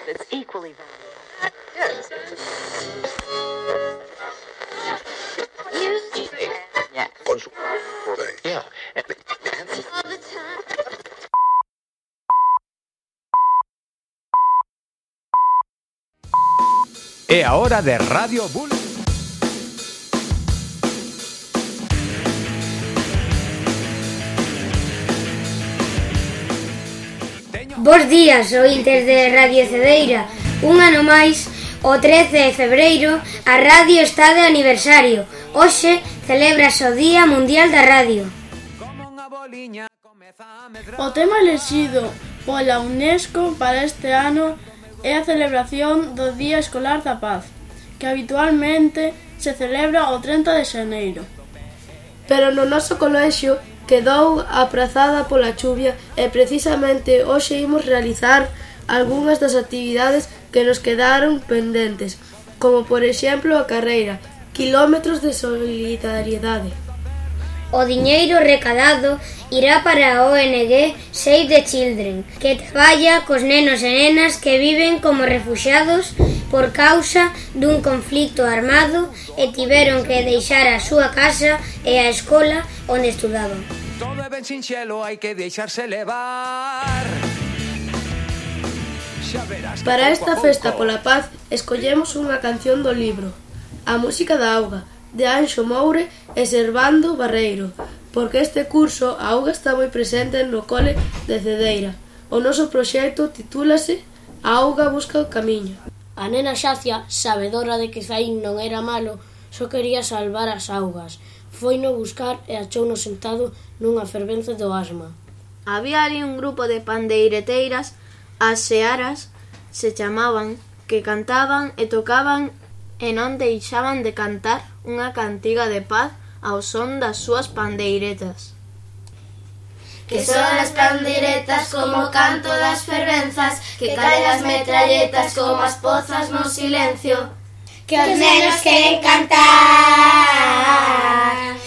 It's equally valid. Yeah. Yeah. É a hora de Radio Bull. Bos días, ointes de Radio Cedeira. Un ano máis, o 13 de febreiro, a radio está de aniversario. Hoxe celébrase o Día Mundial da Radio. O tema elexido pola UNESCO para este ano é a celebración do Día Escolar da Paz, que habitualmente se celebra o 30 de xaneiro. Pero no noso colexio quedou aprazada pola chuvia e precisamente hoxe imos realizar algunhas das actividades que nos quedaron pendentes, como por exemplo a carreira Quilómetros de Solidariedade. O diñeiro recadado irá para a ONG Save the Children, que traballa cos nenos e nenas que viven como refuxiados por causa dun conflicto armado e tiveron que deixar a súa casa e a escola onde estudaban. Todo é ben sinxelo, hai que deixarse levar. Para esta festa pola paz escollemos unha canción do libro A música da auga, de Anxo Moure e Servando Barreiro, porque este curso a auga está moi presente no cole de Cedeira. O noso proxecto titúlase A auga busca o camiño. A nena Xacia, sabedora de que Zaín non era malo, só quería salvar as augas. Foino buscar e achouno sentado nunha fervenza do asma. Había ali un grupo de pandeireteiras, as searas se chamaban, que cantaban e tocaban e non deixaban de cantar unha cantiga de paz ao son das súas pandeiretas. Que son as pandeiretas como o canto das fervenzas, que caen as metralletas como as pozas no silencio, que os nenos queren cantar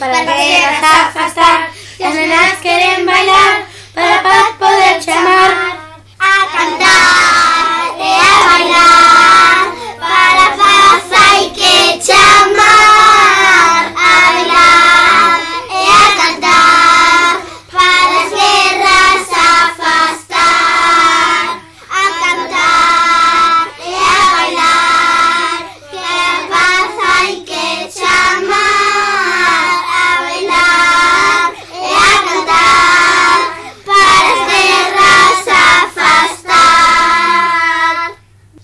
para guerras afastar, que as nenas queren bailar para a paz poder chamar a cantar e a bailar para a paz hai que chamar a bailar e a cantar para as guerras afastar a cantar e a bailar que a paz hai que chamar a bailar e a cantar para as guerras afastar.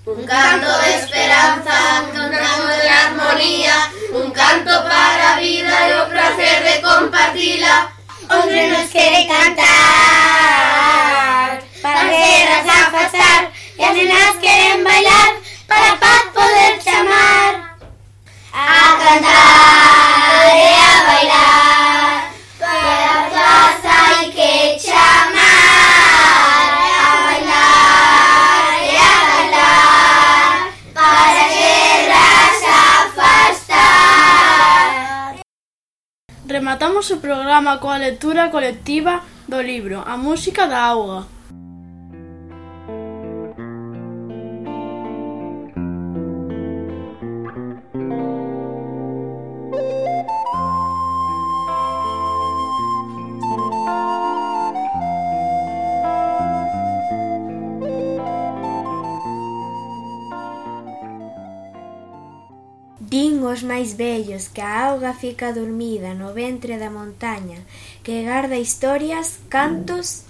Un canto de esperanza, un canto de armonía, un canto para a vida e o placer de compartila. Os nenos queren cantar para as guerras afastar e as nenas queren bailar para a paz poder chamar a cantar e a bailar para a paz hai que chamar a bailar e a bailar para as guerras afastar. Rematamos o programa coa lectura colectiva do libro A música da auga. Din os máis vellos que a auga fica dormida no ventre da montaña, que garda historias, cantos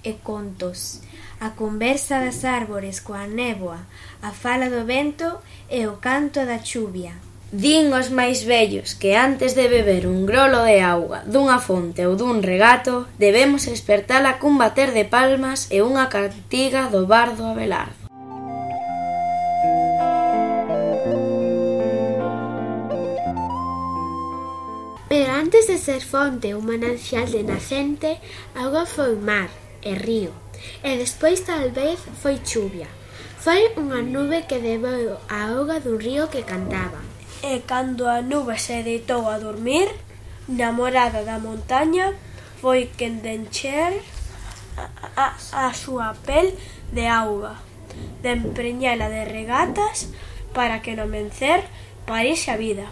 e contos. A conversa das árbores coa néboa, a fala do vento e o canto da chuvia. Din os máis vellos que antes de beber un grolo de auga dunha fonte ou dun regato debemos espertala cun bater de palmas e unha cantiga do bardo Abelardo. Pero antes de ser fonte ou manancial de nacente, a auga foi mar e río, e despois tal vez foi chuvia. Foi unha nube que debeu a auga dun río que cantaba. E cando a nube se deitou a dormir, namorada da montaña, foi quen de encher a súa pel de auga, de empreñela de regatas para que no mencer parise a vida.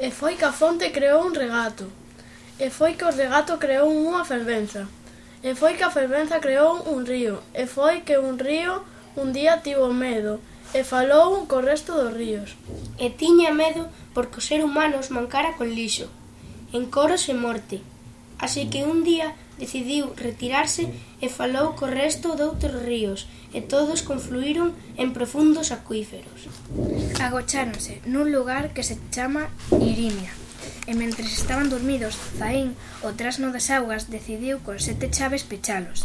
E foi que a fonte creou un regato, e foi que o regato creou unha fervenza, e foi que a fervenza creou un río, e foi que un río un día tivo medo, e falou co resto dos ríos. E tiña medo porque os seres humanos mancara con lixo, encoros e morte. Así que un día decidiu retirarse e falou co resto doutros ríos, e todos confluíron en profundos acuíferos. Agocháronse nun lugar que se chama Irimia, e mentres estaban dormidos, Zaín, o trasno das augas, decidiu con 7 chaves pechalos.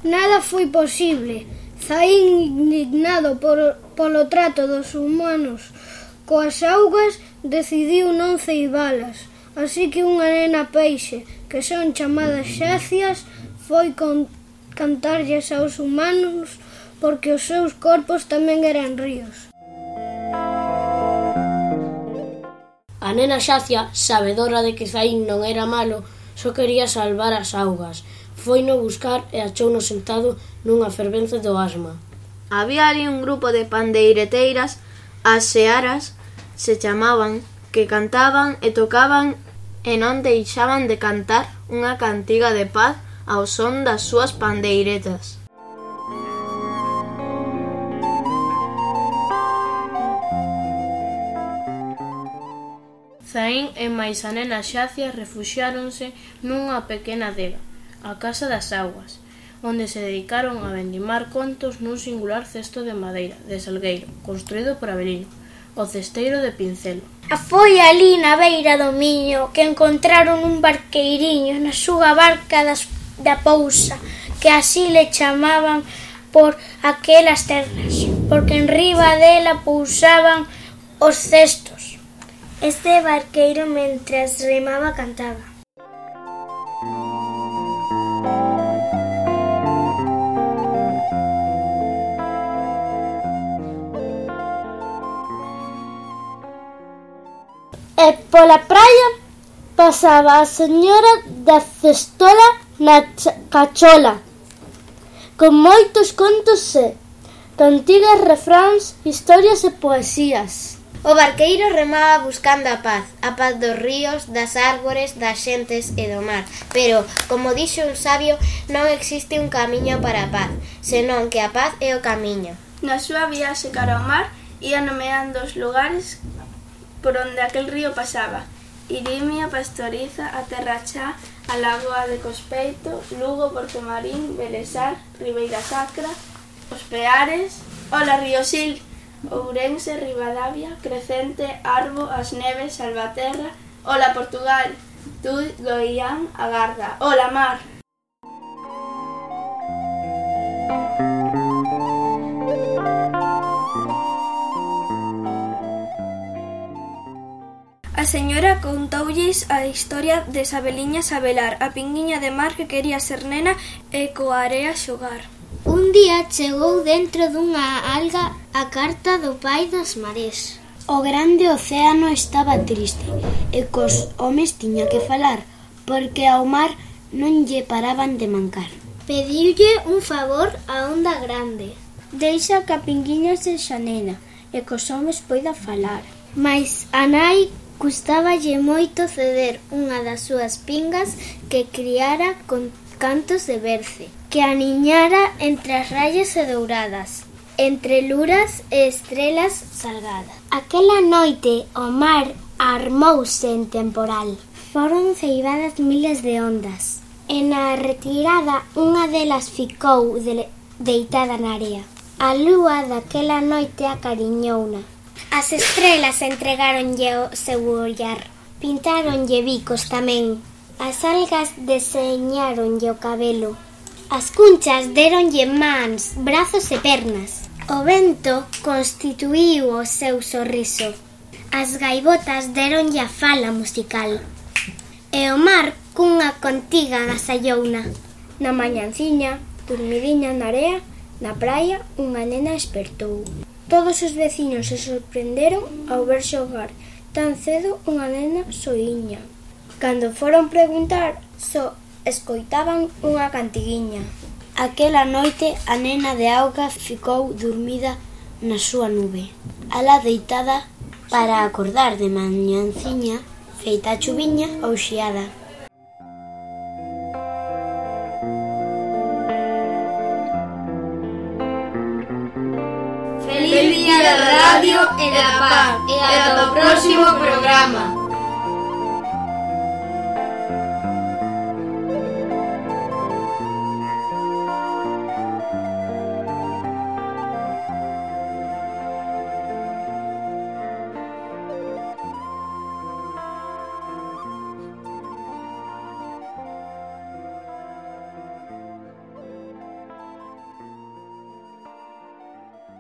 Nada foi posible. Zaín, indignado polo trato dos humanos coas augas, decidiu non ceibalas. Así que unha nena peixe, que son chamadas xacias, foi cantarlles aos humanos porque os seus corpos tamén eran ríos. A nena xacia, sabedora de que Zaín non era malo, só quería salvar as augas. Foino buscar e achouno sentado nunha fervenza do asma. Había ali un grupo de pandeireteiras, as searas se chamaban, que cantaban e tocaban e non deixaban de cantar unha cantiga de paz ao son das súas pandeiretas. Zaín e máis a nena xacia refuxiáronse nunha pequena adega, a Casa das Augas, onde se dedicaron a vendimar contos nun singular cesto de madeira de salgueiro, construído por Avelino, o cesteiro de Pincelo. Foi ali na beira do Miño que encontraron un barqueiriño na súa barca da Pousa, que así le chamaban por aquelas terras, porque enriba dela pousaban os cestos. Este barqueiro, mentras remaba, cantaba. E pola praia pasaba a señora da cestola na cachola, con moitos contos e cantigas, refráns, historias e poesías. O barqueiro remaba buscando a paz dos ríos, das árbores, das xentes e do mar. Pero, como dixo un sabio, non existe un camiño para a paz, senón que a paz é o camiño. Na súa viaxe cara ao mar, ia nomeando os lugares por onde aquel río pasaba: Irimia, Pastoriza, a Terra Chá, a Lagoa de Cospeito, Lugo, Portomarín, Belesar, Ribeira Sacra, Os Peares, Ola Ríosil, Ourense, Ribadavia, Crecente, Arbo, As Neves, Salvaterra, Ola Portugal, Tui, Goián, Agarda, Ola Mar. A señora contoulles a historia de Sabeliña Sabelar, a pinguiña de mar que quería ser nena e coa area xogar. Un día chegou dentro dunha alga a carta do pai das marés. O grande océano estaba triste e cos homes tiña que falar, porque ao mar non lle paraban de mancar. Pediulle un favor a onda grande: deixa que a pinguiña sexa nena e cos homes poida falar. Mais a nai custáballe moito ceder unha das súas pingas que criara con cantos de berce, que aniñara entre as raias e douradas, entre luras e estrelas salgadas. Aquela noite o mar armouse en temporal. Foron ceibadas miles de ondas, e na retirada unha delas ficou deitada na area. A lúa daquela noite acariñouna. As estrelas entregáronlle o seu ollar, pintáronlle bicos tamén. As algas deseñáronlle o cabelo. As cunchas deronlle mans, brazos e pernas. O vento constituíu o seu sorriso. As gaivotas deronlle a fala musical. E o mar cunha contiga agasallouna. Na mañanciña, dormidiña na area, na praia, unha nena espertou. Todos os veciños se sorprenderon ao ver xogar tan cedo unha nena soiña. Cando foron preguntar, só escoitaban unha cantiguiña. Aquela noite a nena de auga ficou dormida na súa nube, alá deitada para acordar de mañanciña, feita a chuviña ou xiada. Feliz día da radio e da paz e ata o próximo programa.